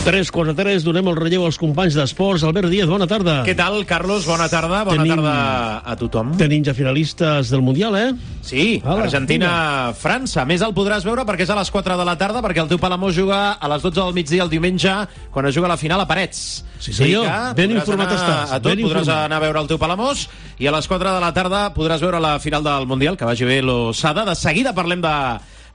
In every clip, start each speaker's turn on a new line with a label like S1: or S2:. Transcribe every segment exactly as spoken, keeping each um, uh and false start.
S1: Tres quarts de tres, donem el relleu als companys d'esports. Albert Díaz, bona tarda.
S2: Què tal, Carlos? Bona tarda. Bona tenim, tarda a tothom.
S1: Tenim ja finalistes del Mundial, eh?
S2: Sí, Argentina-França. Més el podràs veure perquè és a les quatre de la tarda, perquè el teu Palamós juga a les dotze del migdia el diumenge, quan es juga la final a Parets.
S1: Sí, senyor. Ben informat estàs.
S2: A tot, ben podràs informat. anar a veure el teu Palamós, i a les quatre de la tarda podràs veure la final del Mundial, que vagi bé l'Osada. De seguida parlem de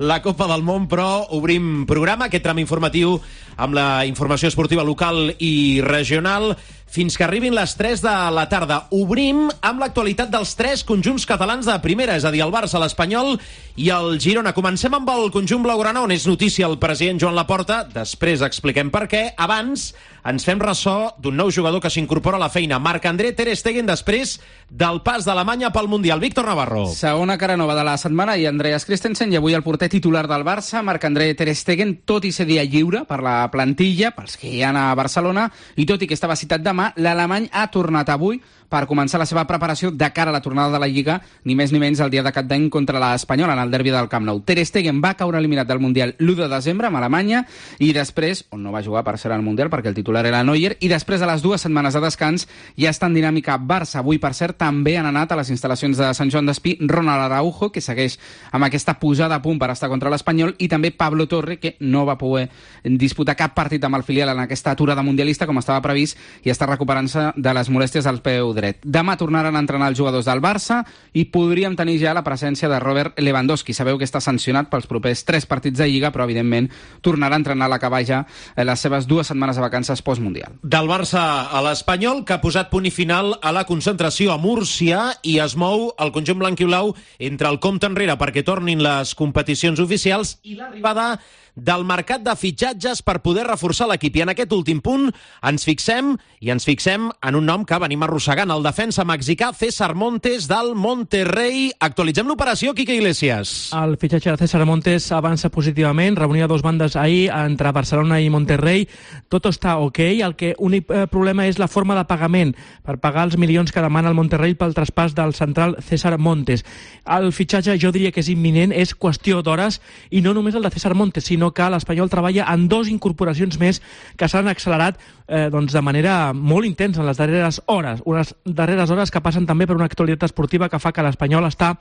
S2: la Copa del Món, però obrim programa, aquest tram informatiu amb la informació esportiva local i regional, fins que arribin les tres de la tarda. Obrim amb l'actualitat dels tres conjunts catalans de primera, és a dir, el Barça, l'Espanyol i el Girona. Comencem amb el conjunt blaugrana, on és notícia el president Joan Laporta. Després expliquem per què. Abans ens fem ressò d'un nou jugador que s'incorpora a la feina, Marc-André Ter Stegen, després del pas d'Alemanya pel Mundial. Víctor Navarro.
S3: Segona cara nova de la setmana, i Andreas Christensen, i avui el porter titular del Barça, Marc-André Ter Stegen, tot i ser dia lliure per la plantilla, pels que hi ha a Barcelona, i tot i que estava citat demà, l'alemany ha tornat avui per començar la seva preparació de cara a la tornada de la Lliga, ni més ni menys el dia de cap d'any contra l'Espanyol en el derbi del Camp Nou. Ter Stegen va caure eliminat del Mundial l'u de desembre amb Alemanya, i després, on no va jugar per ser al Mundial perquè el titular era Neuer, i després de les dues setmanes de descans ja està en dinàmica Barça. Avui, per cert, també han anat a les instal·lacions de Sant Joan d'Espí Ronald Araujo, que segueix amb aquesta posada a punt per estar contra l'Espanyol, i també Pablo Torre, que no va poder disputar cap partit amb el filial en aquesta aturada mundialista com estava previst, i està recuperant-se de les molèsties al peu dret. Demà tornaran a entrenar els jugadors del Barça i podríem tenir ja la presència de Robert Lewandowski. Sabeu que està sancionat pels propers tres partits de Lliga, però evidentment tornarà a entrenar a l'acabar ja les seves dues setmanes de vacances postmundial.
S2: Del Barça a l'Espanyol, que ha posat punt i final a la concentració a Múrcia, i es mou el conjunt blanc i blau entre el compte enrere perquè tornin les competicions oficials i l'arribada del mercat de fitxatges per poder reforçar l'equip. I en aquest últim punt ens fixem, i ens fixem en un nom que venim arrossegant, el defensa mexicà César Montes del Monterrey. Actualitzem l'operació, Quique Iglesias.
S4: El fitxatge de César Montes avança positivament, reunia dos bandes ahir entre Barcelona i Monterrey. Tot està ok, el que únic eh, problema és la forma de pagament per pagar els milions que demana el Monterrey pel traspàs del central César Montes. El fitxatge jo diria que és imminent, és qüestió d'hores, i no només el de César Montes, sinó que l'Espanyol treballa en dos incorporacions més que s'han accelerat eh, doncs de manera molt intensa en les darreres hores. Unes darreres hores que passen també per una actualitat esportiva que fa que l'Espanyol està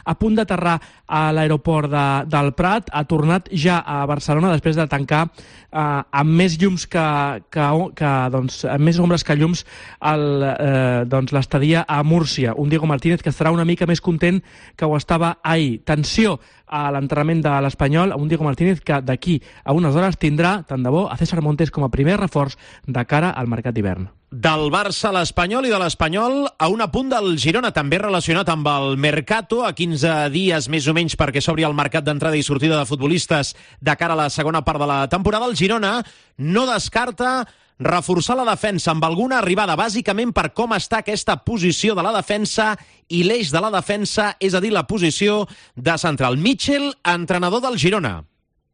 S4: a punt d'aterrar a l'aeroport de, del Prat, ha tornat ja a Barcelona després de tancar eh, amb més llums que, que, que doncs, amb més ombres que llums el, eh, doncs, l'estadia a Múrcia. Un Diego Martínez que estarà una mica més content que ho estava ahir. Tensió a l'enterrament de l'Espanyol, un Diego Martínez que d'aquí a unes hores tindrà, tant de bo, a César Montes com a primer reforç de cara al mercat d'hivern.
S2: Del Barça a l'Espanyol i de l'Espanyol a un apunt del Girona, també relacionat amb el Mercato, a quinze dies més o menys perquè s'obri el mercat d'entrada i sortida de futbolistes de cara a la segona part de la temporada. El Girona no descarta reforçar la defensa amb alguna arribada, bàsicament per com està aquesta posició de la defensa i l'eix de la defensa, és a dir, la posició de central. Mitchell, entrenador del Girona.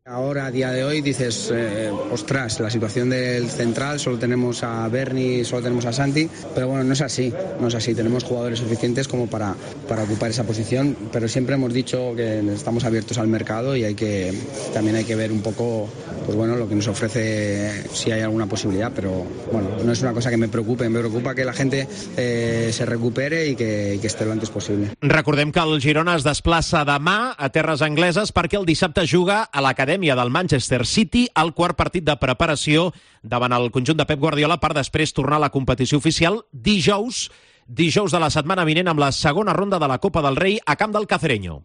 S5: Ahora, a día de hoy, dices, eh, ostras, la situación del central, solo tenemos a Berni, solo tenemos a Santi, pero bueno, no es así, no es así, tenemos jugadores suficientes como para, para ocupar esa posición, pero siempre hemos dicho que estamos abiertos al mercado y hay que, también hay que ver un poco, pues bueno, lo que nos ofrece, si hay alguna posibilidad, pero bueno, no es una cosa que me preocupe, me preocupa que la gente eh, se recupere y que, y que esté lo antes posible.
S2: Recordem que el Girona es desplaça demà a terres angleses perquè el dissabte juga a l'acadèmia del Manchester City, el quart partit de preparació davant el conjunt de Pep Guardiola per després tornar a la competició oficial dijous, dijous de la setmana vinent amb la segona ronda de la Copa del Rei a camp del Cacereño.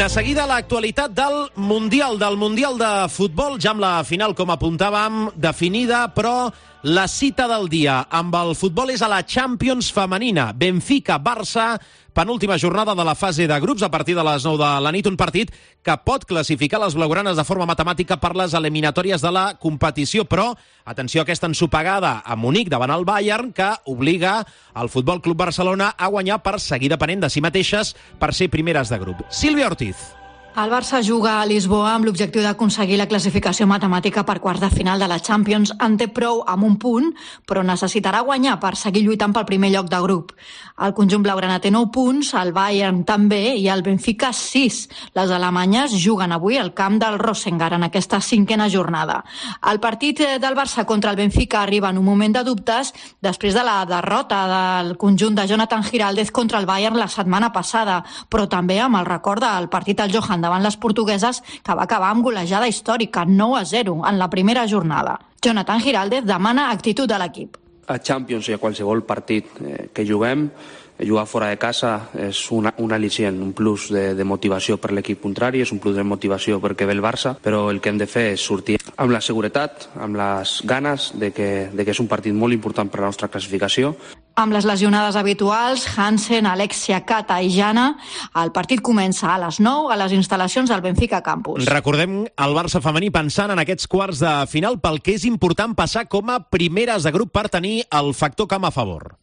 S2: De seguida l'actualitat del Mundial, del Mundial de Futbol, ja amb la final, com apuntàvem, definida, però la cita del dia amb el futbol és a la Champions femenina. Benfica-Barça, penúltima jornada de la fase de grups a partir de les nou de la nit, un partit que pot classificar les blaugranes de forma matemàtica per les eliminatòries de la competició, però atenció a aquesta ensopegada a Munic davant el Bayern, que obliga el Futbol Club Barcelona a guanyar per seguir depenent de si mateixes per ser primeres de grup. Sílvia Ortiz.
S6: El Barça juga a Lisboa amb l'objectiu d'aconseguir la classificació matemàtica per quarts de final de la Champions. En té prou amb un punt, però necessitarà guanyar per seguir lluitant pel primer lloc de grup. El conjunt blaugrana té nou punts, el Bayern també i el Benfica sis. Les alemanyes juguen avui al camp del Rosengar en aquesta cinquena jornada. El partit del Barça contra el Benfica arriba en un moment de dubtes després de la derrota del conjunt de Jonathan Giraldez contra el Bayern la setmana passada, però també amb el record del partit al Johan davant les portugueses, que va acabar amb golejada històrica, nou a zero, en la primera jornada. Jonathan Giraldez demana actitud de l'equip.
S7: A Champions i a qualsevol partit eh, que juguem, jugar fora de casa és una, un al·licient, un plus de, de motivació per l'equip contrari, és un plus de motivació perquè ve el Barça, però el que hem de fer és sortir amb la seguretat, amb les ganes de que, de que és un partit molt important per a la nostra classificació.
S6: Amb les lesionades habituals, Hansen, Alexia, Cata i Jana, el partit comença a les nou a les instal·lacions del Benfica Campus.
S2: Recordem el Barça femení pensant en aquests quarts de final pel que és important passar com a primeres de grup per tenir el factor camp a favor.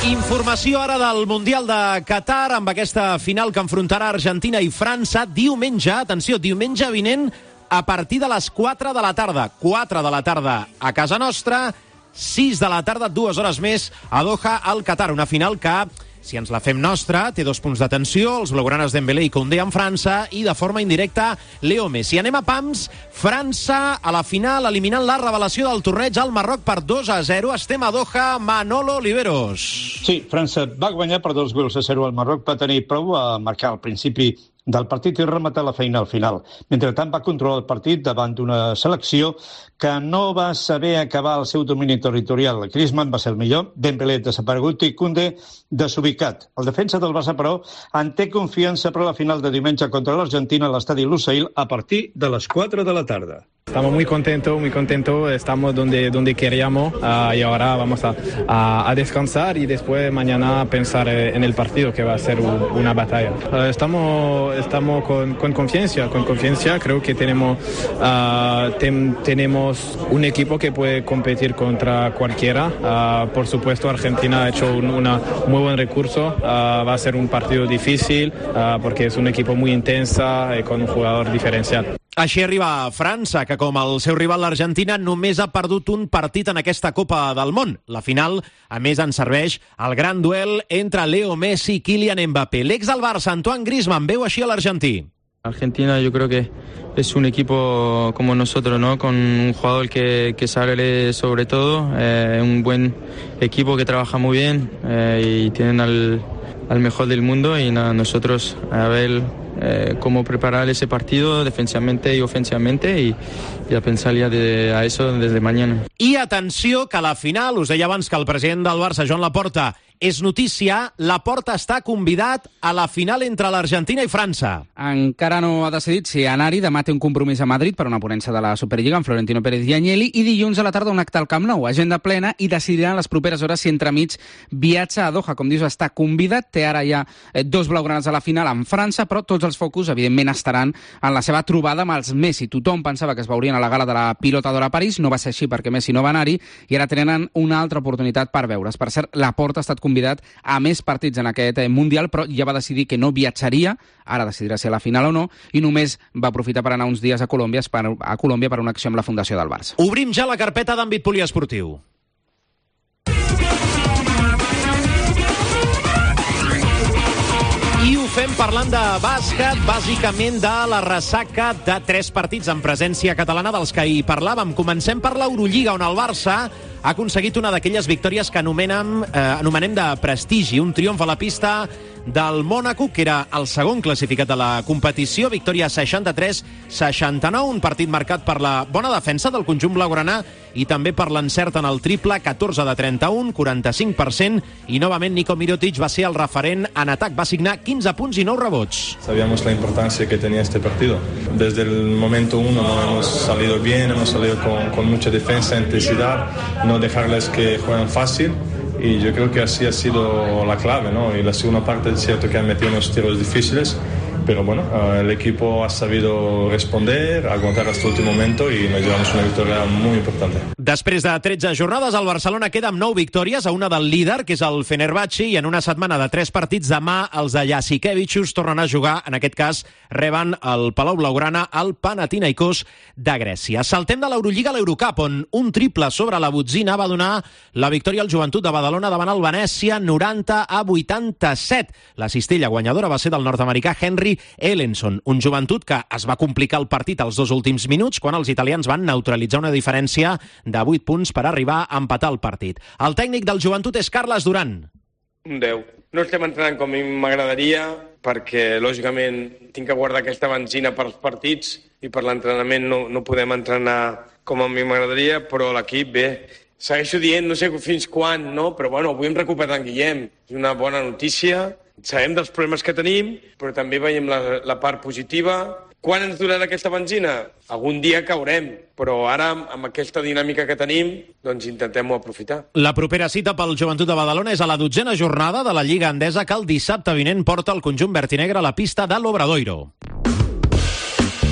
S2: Informació ara del Mundial de Qatar amb aquesta final que enfrontarà Argentina i França diumenge, atenció, diumenge vinent a partir de les quatre de la tarda. quatre de la tarda a casa nostra, sis de la tarda, dues hores més a Doha, al Qatar. Una final que, si ens la fem nostra, té dos punts d'atenció, els blaugranes Dembélé i Koundé en França i de forma indirecta Leo Messi. Anem a pams, França a la final eliminant la revelació del torneig al Marroc per dos a zero. Estem a Doha, Manolo Oliveros.
S8: Sí, França va guanyar per dos gols a zero al Marroc, va tenir prou a marcar al principi del partit i rematar la feina al final. Mentrestant va controlar el partit davant d'una selecció que no va saber acabar el seu domini territorial. Griezmann va ser el millor, Dembélé desaparegut i Koundé desubicat. El defensa del Barça, però, en té confiança per a la final de diumenge contra l'Argentina a l'estadi Lusail a partir de les quatre de la tarda.
S9: Estamos muy contentos, muy contentos, estamos donde, donde queríamos uh, y ahora vamos a, a, a descansar y después mañana pensar en el partido que va a ser un, una batalla. Uh, estamos estamos con, con confianza, con confianza, creo que tenemos, uh, tem, tenemos un equipo que puede competir contra cualquiera. Uh, por supuesto Argentina ha hecho un una muy buen recurso, uh, va a ser un partido difícil uh, porque es un equipo muy intensa y con un jugador diferencial.
S2: Així arriba França, que com el seu rival l'Argentina només ha perdut un partit en aquesta Copa del Món. La final, a més, en serveix el gran duel entre Leo Messi i Kylian Mbappé. L'ex del Barça, Antoine Griezmann, veu així a l'argentí.
S10: Argentina yo creo que es un equipo como nosotros, ¿no? Con un jugador que, que sale sobre todo, eh, un buen equipo que trabaja muy bien eh, y tienen al, al mejor del mundo y nada, nosotros a ver eh, cómo preparar ese partido defensivamente y ofensivamente y, y a pensar ya de, a eso desde mañana.
S2: I atenció que a la final, us deia abans que el president del Barça, Joan Laporta, és notícia, Laporta està convidat a la final entre l'Argentina i França.
S3: Encara no ha decidit si anar-hi. Demà té un compromís a Madrid per una ponència de la Superliga amb Florentino Pérez i Agnelli i dilluns a la tarda un acte al Camp Nou, agenda plena, i decidirà en les properes hores si entremig viatja a Doha. Com dius, està convidat, té ara ja dos blaugranes a la final en França, però tots els focus, evidentment, estaran en la seva trobada amb els Messi. Tothom pensava que es veurien a la gala de la Pilota d'Or a París, no va ser així perquè Messi no va anar-hi i ara tenen una altra oportunitat per veure's. Per cert, Laporta ha estat convidat a més partits en aquest Mundial, però ja va decidir que no viatjaria, ara decidirà si a la final o no, i només va aprofitar per anar uns dies a Colòmbia, a Colòmbia per una acció amb la Fundació del Barça.
S2: Obrim ja la carpeta d'àmbit poliesportiu. I ho fem parlant de bàsquet, bàsicament de la ressaca de tres partits en presència catalana dels que hi parlàvem. Comencem per l'Eurolliga, on el Barça ha aconseguit una d'aquelles victòries que anomenem, eh, anomenem de prestigi, un triomf a la pista del Mònaco, que era el segon classificat de la competició, victòria seixanta-tres seixanta-nou, un partit marcat per la bona defensa del conjunt blaugrana i també per l'encert en el triple, catorze de trenta-un, quaranta-cinc per cent, i novament Nico Mirotic va ser el referent en atac, va signar quinze punts i nou rebots.
S11: Sabíamos la importancia que tenía este partido. Desde el momento uno no hemos salido bien, hemos salido con, con mucha defensa, intensidad, no dejarles que jueguen fácil. Y yo creo que así ha sido la clave, ¿no? Y la segunda parte es cierto que han metido unos tiros difíciles pero bueno, el equipo ha sabido responder, aguantar hasta el último momento y nos llevamos una victoria muy importante.
S2: Després de tretze jornades, el Barcelona queda amb nou victòries, a una del líder, que és el Fenerbahçe, i en una setmana de tres partits demà els de Jasikevičius tornen a jugar, en aquest cas reben el Palau Blaugrana al Panathinaikos de Grècia. Saltem de l'Eurolliga a l'Eurocup, on un triple sobre la botzina va donar la victòria al Joventut de Badalona davant el Venècia, noranta a vuitanta-set. La cistella guanyadora va ser del nord-americà Henry Ellenson, un Joventut que es va complicar el partit als dos últims minuts quan els italians van neutralitzar una diferència de vuit punts per arribar a empatar el partit. El tècnic del Joventut és Carles Duran.
S12: Un deu. No estem entrenant com a mi m'agradaria perquè, lògicament, tinc que guardar aquesta benzina per als partits i per l'entrenament no, no podem entrenar com a mi m'agradaria, però l'equip, bé, segueixo dient, no sé fins quan, no? Però bueno, avui hem recuperat en Guillem. És una bona notícia. Sabem dels problemes que tenim, però també veiem la, la part positiva. Quan ens durarà aquesta benzina? Algun dia caurem, però ara, amb aquesta dinàmica que tenim, doncs intentem-ho aprofitar.
S2: La propera cita pel Joventut de Badalona és a la dotzena jornada de la Lliga Endesa, que el dissabte vinent porta el conjunt vertinegre a la pista de l'Obradoiro.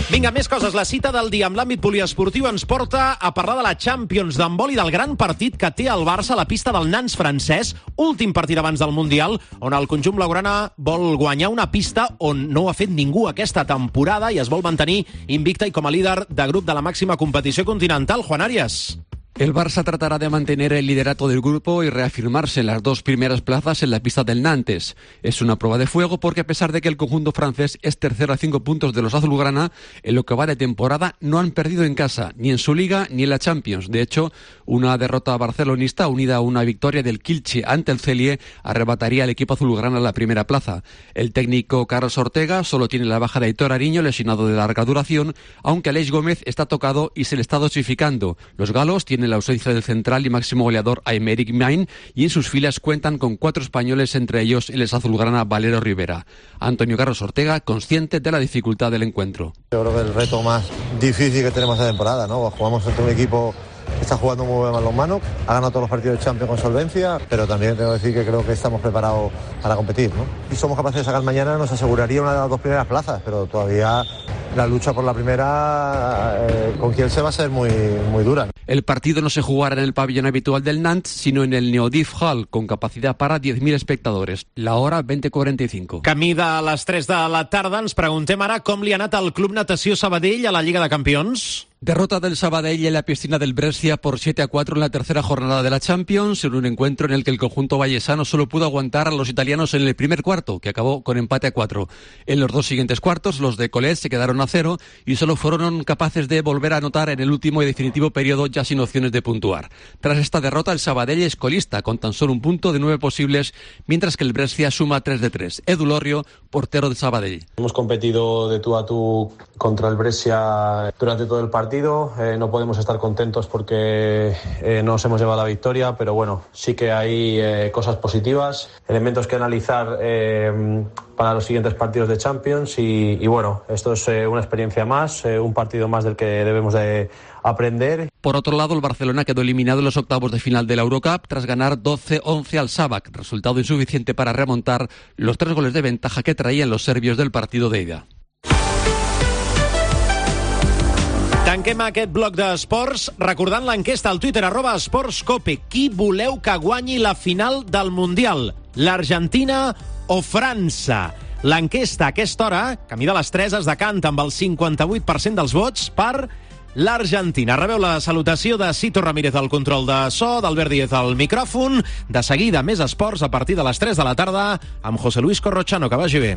S2: Vinga, més coses. La cita del dia amb l'àmbit poliesportiu ens porta a parlar de la Champions d'handbol i del gran partit que té el Barça a la pista del Nantes francès, últim partit abans del Mundial, on el conjunt blaugrana vol guanyar una pista on no ho ha fet ningú aquesta temporada i es vol mantenir invicta i com a líder de grup de la màxima competició continental. Juan Arias.
S13: El Barça tratará de mantener el liderato del grupo y reafirmarse en las dos primeras plazas en la pista del Nantes. Es una prueba de fuego porque a pesar de que el conjunto francés es tercero a cinco puntos de los azulgrana, en lo que va de temporada no han perdido en casa, ni en su liga ni en la Champions. De hecho, una derrota barcelonista unida a una victoria del Kielce ante el Celje arrebataría al equipo azulgrana la primera plaza. El técnico Carlos Ortega solo tiene la baja de Aitor Ariño, lesionado de larga duración, aunque Aleix Gómez está tocado y se le está dosificando. Los galos tienen la ausencia del central y máximo goleador Aymeric Main y en sus filas cuentan con cuatro españoles, entre ellos el azulgrana Valero Rivera. Antonio Carlos Ortega, consciente de la dificultad del encuentro.
S14: Yo creo que el reto más difícil que tenemos esta temporada, ¿no? Jugamos entre un equipo que está jugando muy bien balonmano, ha ganado todos los partidos de Champions con solvencia, pero también tengo que decir que creo que estamos preparados para competir, ¿no? Si somos capaces de sacar mañana nos aseguraría una de las dos primeras plazas, pero todavía la lucha por la primera eh, con Kielce va a ser muy, muy dura.
S13: El partido no se jugará en el pabellón habitual del Nantes, sino en el Neodif Hall, con capacidad para diez mil espectadores. La hora veinte cuarenta y cinco.
S2: Camí de les tres de la tarda, ens preguntem ara com li ha anat al Club Natació Sabadell a la Lliga de Campions.
S13: Derrota del Sabadell en la piscina del Brescia por siete a cuatro en la tercera jornada de la Champions, en un encuentro en el que el conjunto vallesano solo pudo aguantar a los italianos en el primer cuarto, que acabó con empate a cuatro. En los dos siguientes cuartos, los de Colet se quedaron a cero y solo fueron capaces de volver a anotar en el último y definitivo periodo, ya sin opciones de puntuar. Tras esta derrota, el Sabadell es colista, con tan solo un punto de nueve posibles, mientras que el Brescia suma tres de tres. Edu Lorrio, portero de Sabadell.
S15: Hemos competido de tú a tú contra el Brescia durante todo el partido. Eh, no podemos estar contentos porque eh, no nos hemos llevado la victoria, pero bueno, sí que hay eh, cosas positivas, elementos que analizar eh, para los siguientes partidos de Champions y, y bueno, esto es eh, una experiencia más, eh, un partido más del que debemos de aprender.
S13: Por otro lado, el Barcelona quedó eliminado en los octavos de final de la Eurocup tras ganar doce once al Šabac, resultado insuficiente para remontar los tres goles de ventaja que traían los serbios del partido de ida.
S2: Tanquem aquest bloc d'esports recordant l'enquesta al Twitter, arroba esportscope. Qui voleu que guanyi la final del Mundial? L'Argentina o França? L'enquesta a aquesta hora, camí de les tres, es decanta amb el cinquanta-vuit per cent dels vots per l'Argentina. Rebeu la salutació de Cito Ramírez al control de so, d'Albert Díez al micròfon. De seguida, més esports a partir de les tres de la tarda amb José Luis Corrochano. Que vagi bé.